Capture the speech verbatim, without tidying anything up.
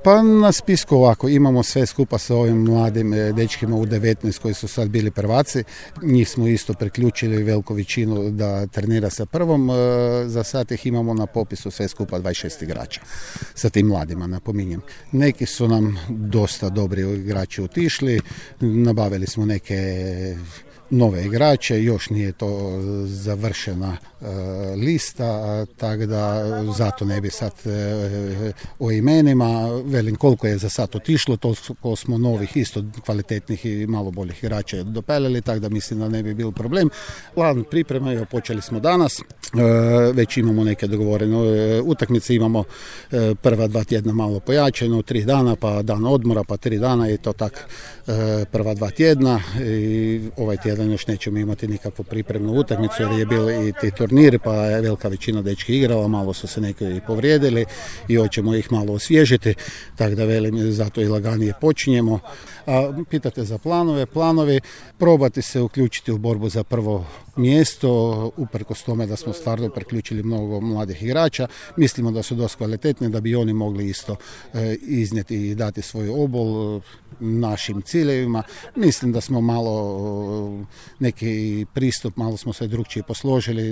Pa na spisku ovako, imamo sve skupa sa ovim mladim dečkima u devetnaest koji su sad bili prvaci. Njih smo isto priključili veliku većinu da trenira sa prvom. Za sad ih imamo na popisu sve skupa dvadeset šest igrača sa tim mladima, napominjem. Neki su nam dosta dobri igrači otišli, nabavili smo neke nove igrače, još nije to završena e, lista, tako da zato ne bi sad e, o imenima, velim koliko je za sad otišlo, toliko smo novih isto kvalitetnih i malo boljih igrača dopeljali, tako da mislim da ne bi bil problem. Plan priprema, evo, počeli smo danas, e, već imamo neke dogovorene e, utakmice, imamo e, prva dva tjedna malo pojačeno, tri dana, pa dan odmora, pa tri dana i to tak e, prva dva tjedna i ovaj tjedan još nećemo imati nikakvu pripremnu utakmicu jer je bili i ti turniri, pa je velika većina dečki igrala, malo su se neki i povrijedili i hoćemo ih malo osvježiti, tako da velim, zato i laganije počinjemo. A pitate za planove, planovi, probati se uključiti u borbu za prvo mjesto, uprkos tome da smo stvarno priključili mnogo mladih igrača, mislimo da su dosta kvalitetni, da bi oni mogli isto e, iznijeti i dati svoj obol našim ciljevima. Mislim da smo malo neki pristup, malo smo se drugčije posložili.